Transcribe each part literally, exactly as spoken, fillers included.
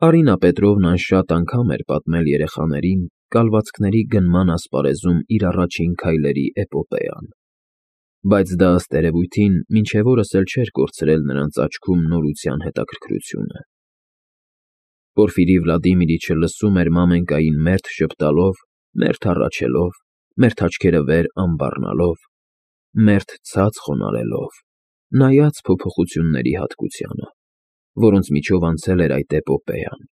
Արինա Պետրովնան շատ անգամ էր պատմել երեխաներին կալվածքների գնման ասպարեզում իր առաջին քայլերի էպոպեան, բայց դա, ըստ երևույթին, մինչև օրս էլ չէր կորցրել նրանց աչքում նորության հետաքրքրությունը։ Պորֆիրի Վլադիմիրիչը լսում էր մամենկային մերթ ժպտալով, մերթ հառաչելով, մերթ աչքերը վեր անբառնալով, մերթ ցած խոնարհելով, նայած փոփոխությունների հատկությանը, որոնց միջով անցել էր այդ էպոպեան,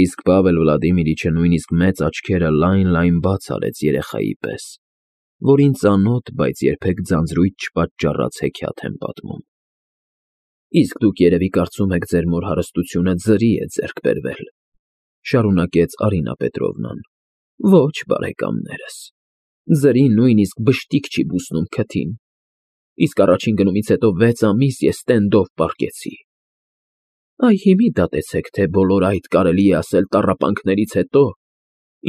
իսկ Պավել Վլադիմիրիչը նույնիսկ մեծ աչքերը լայն֊լայն բաց արեց երեխայի պես, որին ծանոթ, բայց երբեք ձանձրույթ չպատճառած հեքիաթ են պատմում։ Իսկ դուք երևի կարծում եք ձեր մոր հարստությունը ձրի է ձեռք բերվել, շարունակեց Արինա Պետրովնան։ Ոչ, բարեկամներս, ձրի նույնիսկ բշտիկ չի բուսնում քթին, իսկ առաջին գնումից հետո վեց ամիս ես տենդով պառկեցի։ Այ հիմի դատեցեք, թե բոլոր այդ կարելի է ասել տառապանքներից հետո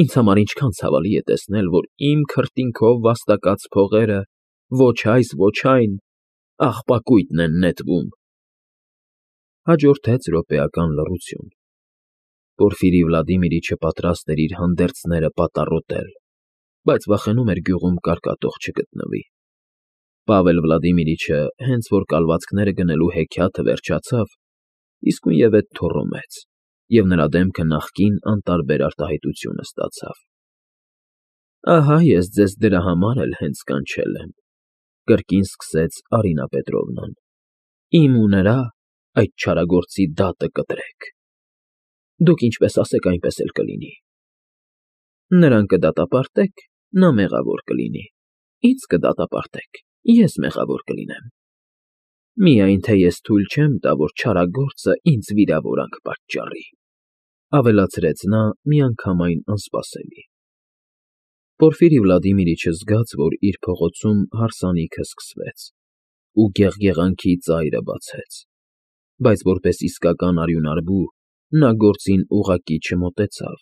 ինձ համար ինչքան ցավալի է տեսնել, որ իմ քրտինքով վաստակած փողերը ոչ այս, ոչ այն աղբակույտն են նետվում։ Հաջորդեց րոպեական լռություն։ Պորֆիրի Վլադիմիրիչը պատրաստ էր իր հանդերձները պատառոտել, բայց վախենում էր գյուղում կարկատող չգտնվի։ Պավել Վլադիմիրիչը, հենց որ կալվածքները գնելու հեքիաթը վերջացավ, իսկույնևեթ թոռոմեց, և նրա դեմքը նախկին անտարբեր արտահայտությունը ստացավ։ Ահա ես ձեզ դրա համար էլ հենց կանչել եմ, կրկին սկսեց Արինա Պետրովնան, իմ ու նրա, այդ չարագործի դատը կտրեք։ Դուք ինչպես ասեք, այնպես էլ կլինի։ Նրան կդատապարտեք, նա մեղավոր կլինի, ինձ կդատապարտեք, ես մեղավոր կլինեմ։ Միայն թե ես թույլ չեմ տա, որ չարագործը ինձ վիրավորանք պատճառի, ավելացրեց նա միանգամայն անսպասելի։ Պորֆիրի Վլադիմիրիչը զգաց, որ իր փողոցում հարսանիքը սկսվեց, ու գեղգեղանքի ծայրը բացեց, բայց որպես իսկական արյունարբու նա գործին ուղղակի չմոտեցավ,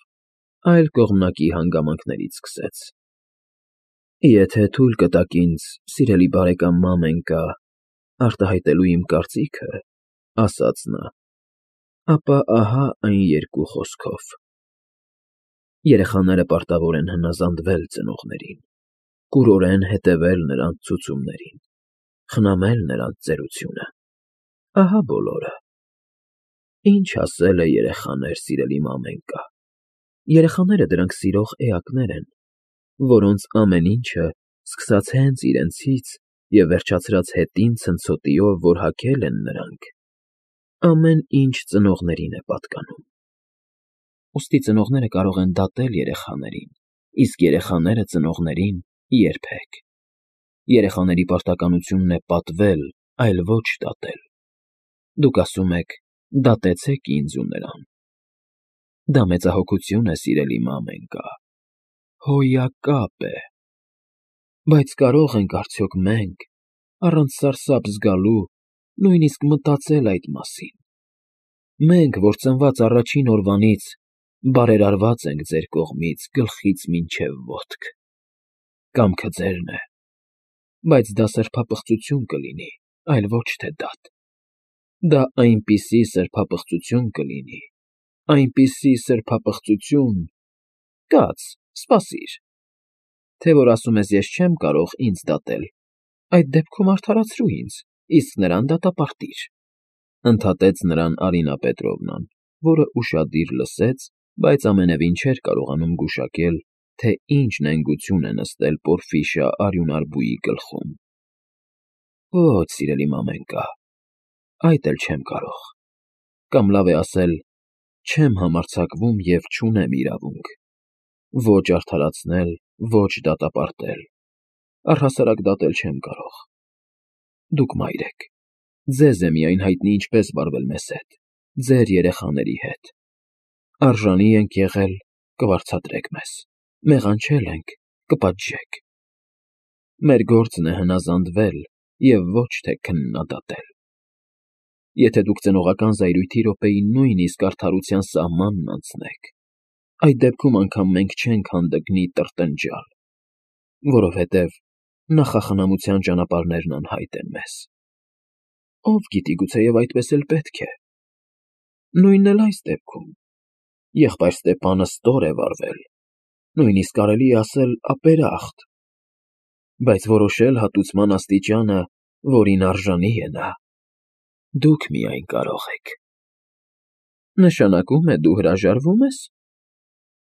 այլ կողմնակի հանգամանքներից սկսեց։ Եթե թույլ կտաք ինձ, սիրելի բարեկամ Մամենկա, արտահայտելու իմ կարծիքը, ասաց նա, ապա ահա այն երկու խոսքով. երեխաները պարտավոր են հնազանդվել ծնողներին, կուրորեն հետևել նրանց ցուցումներին, խնամել նրանց ծերությունը, ահա բոլորը։ Ինչ ասել է երեխաներ, սիրելի Մամենկա, երեխաները դրանք սիրող էակներ են, որոնց ամեն ինչը, սկսած հենց իրենցից և վերջացրած հետին ցնցոտիով, որ հագել են նրանք, ամեն ինչ ծնողներին է պատկանում։ Ուստի ծնողները կարող են դատել երեխաներին, իսկ երեխաները ծնողներին՝ երբեք։ Երեխաների պարտականությունն է պատվել, այլ ոչ դատել։ Դուք ասում եք. դատեցեք ինձ ու նրան։ Դա մեծահոգություն է, սիրելի Մամենկա, հոյակապ է։ Բայց կարո՞ղ ենք արդյոք մենք, առանց սարսափ զգալու, նույնիսկ մտածել այդ մասին։ Մենք, որ ծնված առաջին օրվանից բարերարված ենք ձեր կողմից գլխից մինչև ոտք։ Կամքը ձերն է, բայց դա սրբապղծություն կլինի, այլ ոչ թե դատ։ Դա այնպիսի սրբապղծություն կլինի, այնպիսի սրբապղծություն… Կաց, սպասիր, թե որ ասում ես ես չեմ կարող ինձ դատել, այդ դեպքում արդարացրու ինձ, իսկ նրան դատապարտիր, ընդհատեց նրան Արինա Պետրովնան, որը ուշադիր լսեց, բայց ամենևին չէր կարողանում գուշակել, թե ինչ նենգություն է նստել պորֆիշա արյունարբուի գլխում։ Ոչ, սիրելի Մամենկա, այդ էլ չեմ կարող, կամ լավ է ասել, չեմ համարձակվում և չունեմ իրավունք ոչ արդարացնել, ոչ դատապարտել, առհասարակ դատել չեմ կարող։ Դուք մայր եք, ձեզ է միայն հայտնի ինչպես վարվել մեզ հետ, ձեր երեխաների հետ։ Արժանի ենք եղել, կվարձատրեք մեզ, մեղանչել ենք, կպատժեք։ Մեր գործն է հնազանդվել և ոչ թե քննադատել։ Եթե դուք ծնողական զայրույթի րոպեին նույնիսկ արդարության սահմանն անցնեք, այդ դեպքում անգամ մենք չենք հանդգնի տրտնջալ, որովհետև նախախնամության ճանապարհներն անհայտ են մեզ։ Ով գիտի, գուցեև այդպես էլ պետք է։ Նույնն էլ այս դեպքում, եղբայր Ստեփանը ստոր է վարվել, նույնիսկ կարելի է ասել ապերախտ, բայց որոշել հատուցման աստիճանը, որին արժանի է նա, դուք միայն կարող եք։ Նշանակում է դու հրաժարվո՞ւմ ես։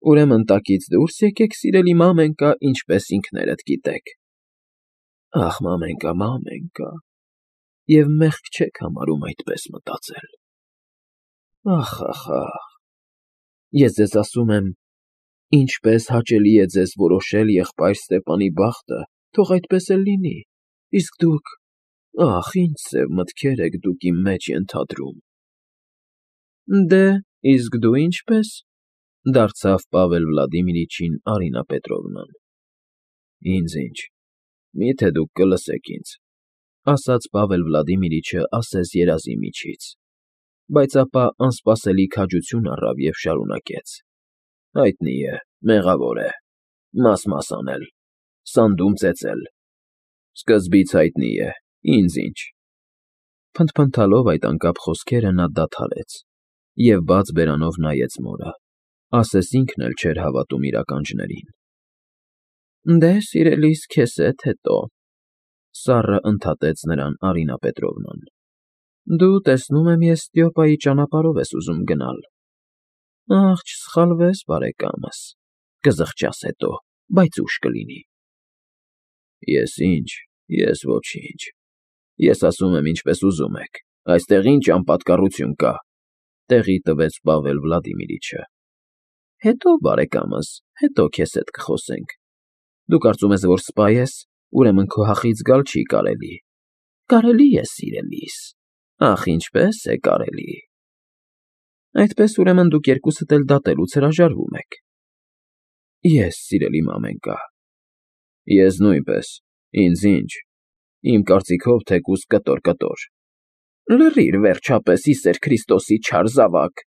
Ուրեմն տակից դուրս եկեք, սիրելի մամենկա, ինչպես ինքներդ գիտեք։ Ախ, մամենկա, մամենկա, և մեղք չեք համարում այդպես մտածել։ Ախ, ախ, ախ, ես ձեզ ասում եմ, ինչպես հաճելի է ձեզ որոշել եղբայր Ստեփանի բախտը, թող այդպես էլ լինի, իսկ դուք, ախ, ինչ սև մտքեր եք դուք իմ մեջ ենթադրում։ Դե, իսկ դու ինչպե՞ս, դարձավ Պավել Վլադիմիրիչին Արինա Պետրովնան։ Ինձ ինչ, մի՞թե դուք կլսեք ինձ, ասաց Պավել Վլադիմիրիչը ասես երազի միջից, բայց ապա անսպասելի քաջություն առավ և շարունակեց. Հայտնի է, մեղավոր է, մաս֊մաս անել, սանդում ծեծել, սկզբից հայտնի է, ինձ ինչ։ Փնթփնթալով այդ անկապ խոսքերը նա դադարեց և բաց բերանով նայեց մորը, ասես ինքն էլ չէր հավատում իր ականջներին։ Դե, սիրելիս, քեզ հետ հետո, սառը ընդհատեց նրան Արինա Պետրովնան։ Դու, տեսնում եմ, Եստիոպայի ճանապարհով ես ուզում գնալ։ Ախ, չսխալվես, բարեկամս, կզղջաս հետո, բայց ուշ կլինի։ Ես ինչ, ես ոչինչ, ես ասում եմ ինչպես ուզում եք, այստեղ ինչ անպատկառություն կա, տեղի տվեց Պավել Վլադիմիրիչը։ Հետո, բարեկամս, հետո քեզ հետ կխոսենք։ Դու կարծում ես, որ սպա ես, ուրեմն քո հախից գալ չի կարելի։ Կարելի է, սիրելիս, ախ, ինչպես է կարելի։ Այդպես, ուրեմն դուք երկուսդ էլ դատելուց հրաժարվում եք։ Ես, սիրելի մամենկա։ Ես նույնպես, ինձ ինչ, իմ կարծիքով թեկուզ կտոր֊կտոր։ Լռիր, վերջապես, ի սեր Քրիստոսի, չար զավակ։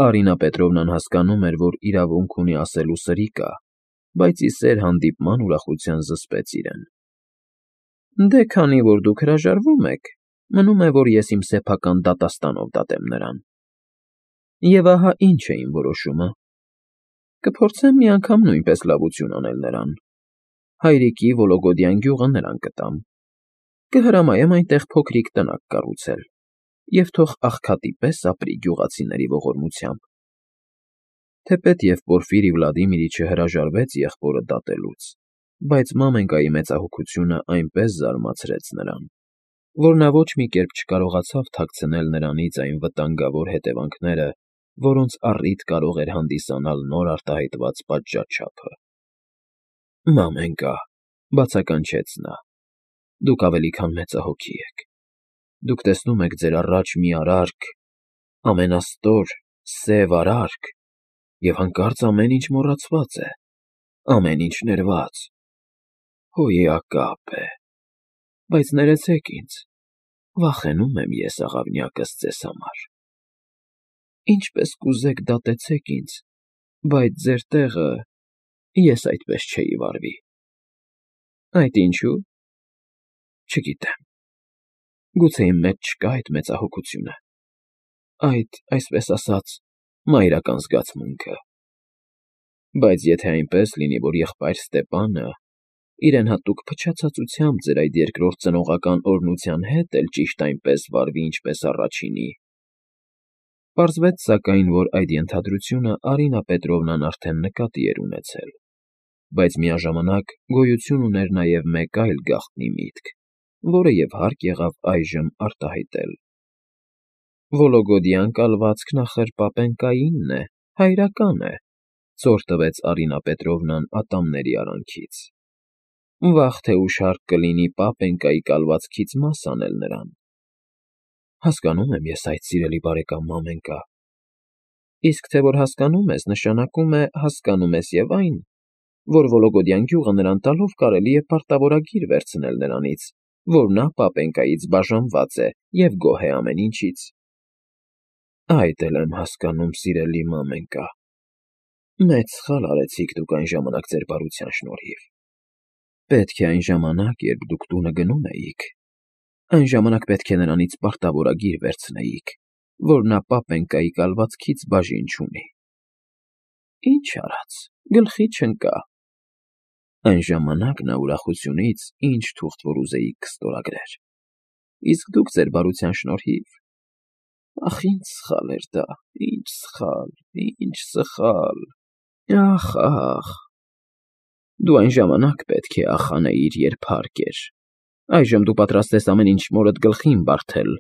Արինա Պետրովնան հասկանում էր, որ իրավունք ունի ասելու սրի կա, բայց ի սեր հանդիպման ուրախության զսպեց իրեն։ Դե քանի որ դուք հրաժարվում եք, մնում է, որ ես իմ սեփական դատաստանով դատեմ նրան։ Եվ ահա ինչ է իմ որոշումը. կփորձեմ մի անգամ նույնպես լավություն անել նրան, հայրիկի Վոլոգոդյան գյուղը նրան կտամ, կհրամայեմ այնտեղ փոքրիկ տնակ կառուցել և թող աղքատի պես ապրի գյուղացիների ողորմությամբ։ Թեպետ և Պորֆիրի Վլադիմիրիչը հրաժարվեց եղբորը դատելուց, բայց մամենկայի մեծահոգությունը այնպես զարմացրեց նրան, որ նա ոչ մի կերպ չկարողացավ թաքցնել նրանից այն վտանգավոր հետևանքները, որոնց առիթ կարող էր հանդիսանալ նոր արտահայտված պատժաչափը։ Մամենկա, բացականչեց նա, դուք ավելի քան մեծահոգի եք։ Դուք տեսնում եք ձեր առաջ մի արարք, ամենաստոր, սև արարք, և հանկարծ ամեն ինչ մոռացված է, ամեն ինչ ներված, հոյակապ է, բայց ներեցեք ինձ, վախենում եմ ես աղավնյակս ձեզ համար։ Ինչպես կուզեք դատեցեք ինձ, բայց ձեր տեղը ես այդպես չէի վարվի։ Այդ ինչու՞։ Չգիտեմ, գուցե իմ մեջ չկա այդ մեծահոգությունը, այդ, այսպես ասած, մայրական զգացմունքը։ Բայց եթե այնպես լինի, որ եղբայր Ստեփանը իրեն հատուկ փչացածությամբ ձեր այդ երկրորդ ծնողական օրհնության հետ էլ ճիշտ այնպես վարվի, ինչպես առաջինի… Պարզվեց սակայն, որ այդ ենթադրությունը Արինա Պետրովնան արդեն նկատի էր ունեցել, բայց միաժամանակ գոյություն ուներ նաև մեկ այլ գաղտնի միտք, որը և հարկ եղավ այժմ արտահայտել։ Վոլոգոդյան կալվածքն ախր պապենկայինն է, հայրական է, ցոր տվեց Արինա Պետրովնան ատամների արանքից։ Վաղ թե ուշ հարկ կլինի պապենկայի կալվածքից մաս անել նրան։ Հասկանում եմ ես այդ, սիրելի բարեկամ մամենկա։ Իսկ թե որ հասկանում ես, նշանակում է հասկանում ես և այն, որ Վոլոգոդյան գյուղը նրան տալով կարելի է պարտավորագիր վերցնել նրանից, որ նա պապենկայից բաժանված է և գոհ է ամեն ինչից։ Այդ էլ եմ հասկանում, սիրելի մամենկա։ Մեծ սխալ արեցիք դուք այն ժամանակ ձեր բարության շնորհիվ։ Պետք է այն ժամանակ, երբ դուք տունը գնում էիք, այն ժամանակ պետք է նրանից պարտավորագիր վերցնեիք որ նա պապենկայի կալվածքից բաժին չունի։ Ինչ արած, գլխի չընկա։ Այն ժամանակ նա ուրախությունից ինչ թուղթ որ ուզեիք կստորագրեր, իսկ դուք ձեր բարության շնորհիվ… Ախ, ինչ սխալ էր դա, ինչ սխալ, ինչ սխալ… Ախ, ախ… Դու այն ժամանակ պետք է ախ անեիր, երբ հարկ էր, այժմ դու պատրաստ ես ամեն ինչ մորդ գլխին բարդել,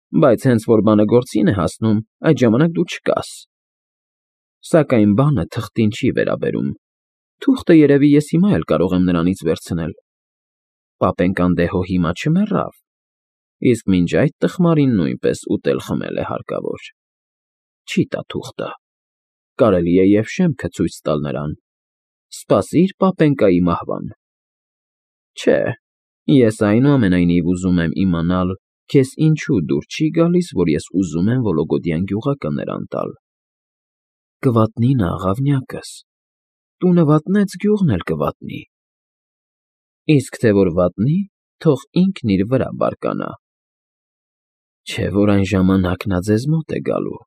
բայց հենց որ բանը գործին է հասնում, այդ ժամանակ դու չկաս… Սակայն բանը թղթին չի վերաբերում, թուղթը երևի ես հիմա էլ կարող եմ նրանից վերցնել… Պապենկան դե հո հիմա չմեռավ, իսկ մինչ այդ տխմարին նույնպես ուտել֊խմել է հարկավոր… Չի տա թուղթը, կարելի է և շեմքը ցույց տալ նրան… Սպասիր պապենկայի մահվան… Չէ, ես այնուամենայնիվ ուզում եմ իմանալ, քեզ ինչու դուր չի գալիս, որ ես ուզում եմ Վոլոգոդյան գյուղակը նրան տալ… Կվատնի նա, աղավնյակս, տունը վատնեց, գյուղն էլ կվատնի… Իսկ թե որ վատնի, թող ինքն իր վրա բարկանա… Չէ որ այն ժամանակ նա ձեզ մոտ է գալու…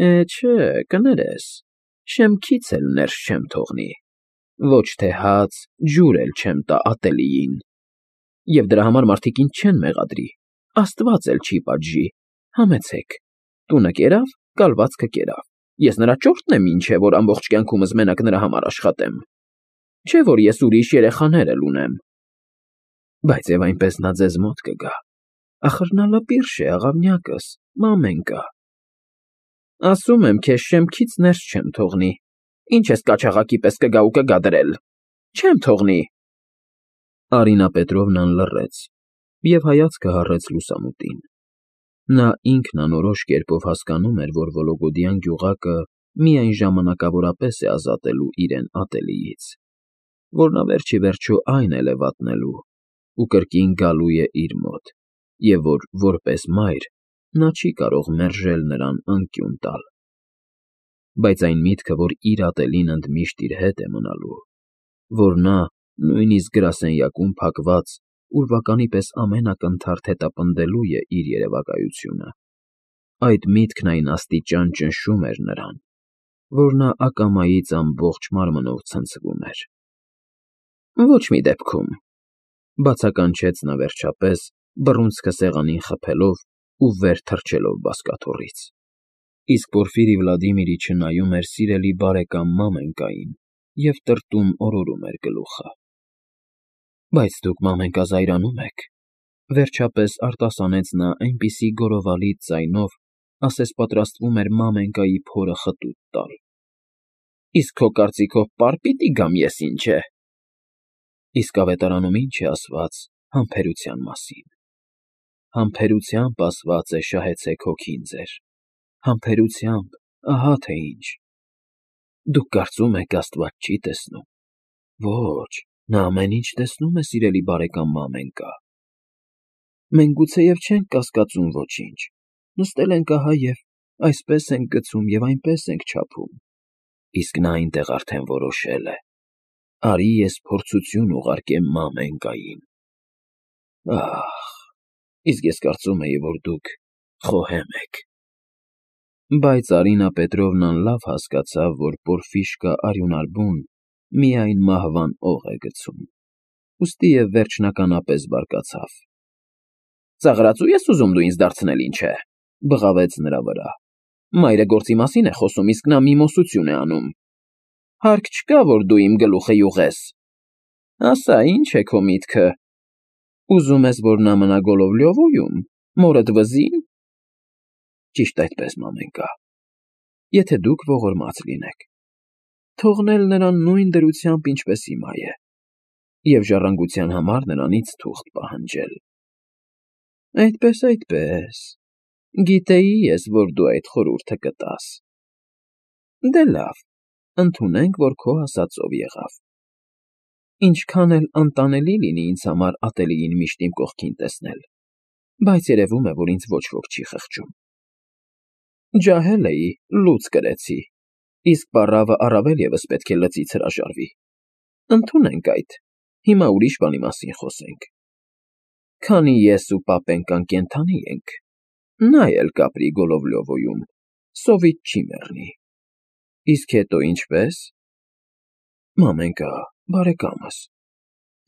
Է, չէ, կներես, շեմքից էլ ներս չեմ թողնի, ոչ թե հաց, ջուր էլ չեմ տա ատելիին… Եվ դրա համար մարդիկ ինձ չեն մեղադրի, աստված էլ չի պատժի… Համեցեք, տունը կերավ, կալվածքը կերավ, ես նրա ճորտն եմ ինչ է, որ ամբողջ կյանքումս մենակ նրա համար աշխատեմ… Չէ որ ես ուրիշ երեխաներ էլ ունեմ… Բայց և այնպես նա ձեզ մոտ կգա, ախր նա լպիրշ է, աղավնյակս, մամենկա… Ասում եմ քեզ, շեմքից ներս չեմ թողնի, ինչ ես կաչաղակի պես կգա ու կգա դրել… Չեմ թողնի… Արինա Պետրովնան լռեց և հայացքը հառեց լուսամուտին… Նա ինքն անորոշ կերպով հասկանում էր, որ Վոլոգոդյան գյուղակը միայն ժամանակավորապես է ազատելու իրեն ատելիից, որ նա վերջիվերջո այն էլ է վատնելու ու կրկին գալու է իր մոտ և որ, որպես մայր, նա չի կարող մերժել նրան անկյուն տալ… Բայց այն միտքը, որ իր ատելին ընդմիշտ իր հետ է մնալու, որ նա, նույնիսկ գրասենյակում փակված, ուրվականի պես ամեն ակնթարթ հետապնդելու է իր երևակայությունը, այդ միտքն այն աստիճան ճնշում էր նրան, որ նա ակամայից ամբողջ մարմնով ցնցվում էր… Ոչ մի դեպքում… Բացականչեց նա վերջապես, բռունցքը սեղանին խփելով ու վեր թռչելով բազկաթոռից… Իսկ Պորֆիրի Վլադիմիրիչը նայում էր սիրելի բարեկամ մամենկային և տրտում օրորում էր գլուխը… Բայց դուք, մամենկա, զայրանում եք… Վերջապես արտասանեց նա այնպիսի գոռովալից ձայնով, ասես պատրաստվում էր մամենկայի փորը խտուտ տալ… Իսկ քո կարծիքով պար պիտի գամ ես, ինչ է… Իսկ ավետարանում ինչ է ասված համբերության մասին… Համբերությամբ ասված է շահեցեք հոգին ձեր… Համբերությամբ, ահա թե ինչ… Դուք կարծում եք աստված չի տեսնում… Ոչ, նա ամեն ինչ տեսնում է, սիրելի բարեկամ մամենկա… Մենք գուցեև չենք կասկածում ոչինչ, նստել ենք ահա և այսպես ենք գցում և այնպես ենք չափում… Իսկ նա այնտեղ արդեն որոշել է… Արի ես փորձություն ուղարկեմ մամենկային… Ահ… Իսկ ես կարծում էի, որ դուք խոհեմ եք… Բայց Արինա Պետրովնան լավ հասկացավ, որ Պորֆիշկա արյունարբուն միայն մահվան օղ է գցում, ուստիև վերջնականապես բարկացավ… Ծաղրածո՞ւ ես ուզում դու ինձ դարձնել, ինչ է… Բղավեց նրա վրա… Մայրը գործի մասին է խոսում, իսկ նա մի մոսություն է անում… Հարկ չկա, որ դու իմ գլուխը յուղես… Ասա, ինչ է քո միտքը… Ուզում ես, որ նա մնա Գոլովլյովոյում, մորդ վզի՞ն… Ճիշտ այդպես, մամենկա… Եթե դուք ողորմած լինեք… Թողնել նրան նույն դրությամբ, ինչպես հիմա է, և ժառանգության համար նրանից թուղթ պահանջել… Այդպես, այդպես… Գիտեի ես, որ դու այդ խորհուրդը կտաս… Դե լավ, ընդունենք, որ քո ասածով եղավ… Ինչքան էլ անտանելի լինի ինձ համար ատելիին միշտ իմ կողքին տեսնել, բայց երևում է, որ ինձ ոչ ոք չի խղճում… Ջահել էի, լուց կրեցի, իսկ պառավը առավել ևս պետք է լծից հրաժարվի… Ընդունենք այդ, հիմա ուրիշ բանի մասին խոսենք… Քանի ես ու պապենկան կենդանի ենք, Նա էլ կապրի Գոլովլյովոյում, սովից չի մեռնի։ Իսկ հետո ինչպե՞ս։ Մամենկա, բարեկամս,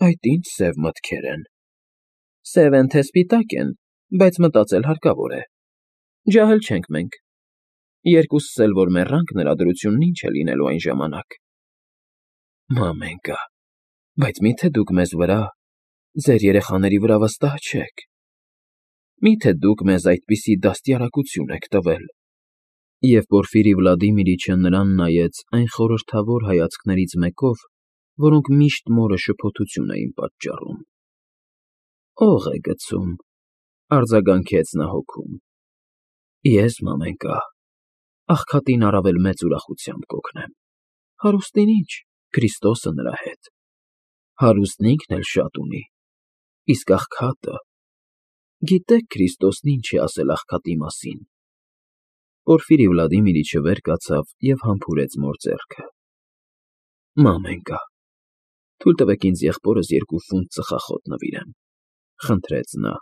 այդ ինչ սև մտքեր են։ Սև են թե սպիտակ են, բայց մտածել հարկավոր է։ Ջահել չենք մենք։ Երկուսս էլ որ մեռանք, նրա դրությունն ինչ է լինելու այն ժամանակ։ Մամենկա, բայց մի՞թե դուք մեզ վրա, ձեր երեխաների վրա վստահ չեք։ Մի՞թե դուք մեզ այդպիսի դաստիարակություն եք տվել։ Եվ Պորֆիրի Վլադիմիրիչը նրան նայեց այն խորհրդավոր հայացքներից մեկով, որոնք միշտ մորը շփոթություն էին պատճառում։ Ո՞ղ է գցում,֊ արձագանքեց նա հոգում։ Ես, մամենկա, աղքատին առավել մեծ ուրախությամբ կօգնեմ։ Հարուստին ինչ, Քրիստոսը նրա հետ։ Հարուստն ինքն էլ շատ ունի, իսկ աղքատը… Գիտե՞ք Քրիստոսն ինչ է ասել աղքատի մասին։ Պորֆիրի Վլադիմիրիչը վեր կացավ և համբուրեց մոր ձեռքը։ Մամենկա, թույլ տվեք ինձ եղբորս երկու ֆունտ ծխախոտ նվիրեմ,֊ խնդրեց նա։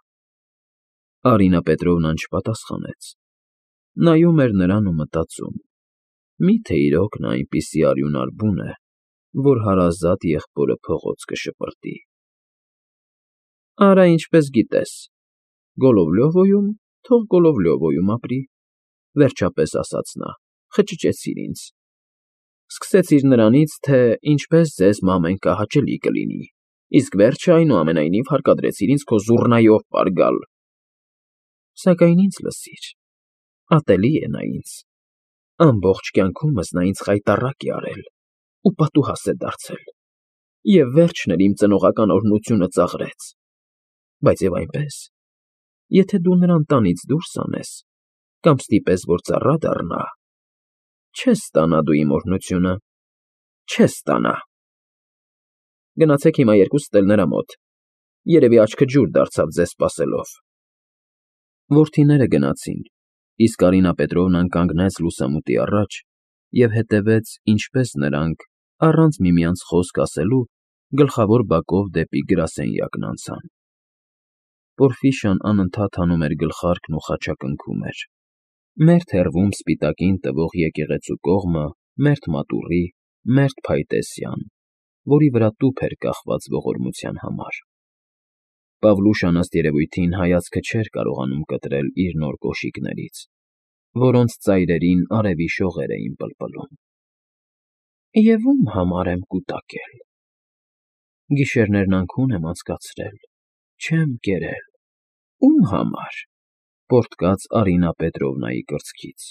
Արինա Պետրովնան չպատասխանեց։ Նայում էր նրան ու մտածում. մի՞թե իրոք նա այնպիսի արյունար բուն է, որ հարազատ եղբորը փողոց կշպրտի։ Արա ինչպես գիտես, Գոլովլյովոյում, թող Գոլովլյովոյում ապրի,֊ վերջապես ասաց նա, խճճեցիր ինձ։ Սկսեցիր նրանից, թե ինչպես ձեզ, մամենկա, հաճելի կլինի, իսկ վերջը, այնուամենայնիվ, հարկադրեցիր ինձ քո զուռնայով պարգալ։ Սակայն ինձ լսիր, ատելի է նա ինձ։ Ամբողջ կյանքումս նա ինձ խայտառակ է արել ու պատուհաս է դարձել, և վերջն էլ իմ ծնողական օրհնությունը ծաղրեց։ Բայց և այնպես, եթե դու նրան տանից դուրս անես կամ ստիպես, որ ծառա դառնա, չես ստանա դու իմ օրհնությունը, չես ստանա։ Գնացեք հիմա երկուսդ էլ նրա մոտ, երևի աչքը ջուր դարձավ ձեզ սպասելով։ Որդիները գնացին, իսկ Արինա Պետրովնան կանգնեց լուսամուտի առաջ և հետևեց, ինչպես նրանք, առանց միմյանց խոսք ասելու, գլխավոր բակով դեպի գրասենյակն անցան։ Պորֆիշան անընդհատ հանում էր գլխարկն ու խաչակնքում էր. մերթ հեռվում սպիտակին տվող եկեղեցու կողմը, մերթ մատուռի, մերթ փայտե սյան, որի վրա տուփ էր կախված ողորմության համար։ Պավլուշան, ըստ երևույթին, հայացքը չէր կարողանում կտրել իր նոր կոշիկներից, որոնց ծայրերին արևի շողեր էին պլպլում։ Եվ ո՞ւմ համար եմ կուտակել։ Գիշերներն անքուն եմ անցկացրել, չեմ կերել, ո՞ւմ համար,֊ պոռթկաց Արինա Պետրովնայի կրծքից։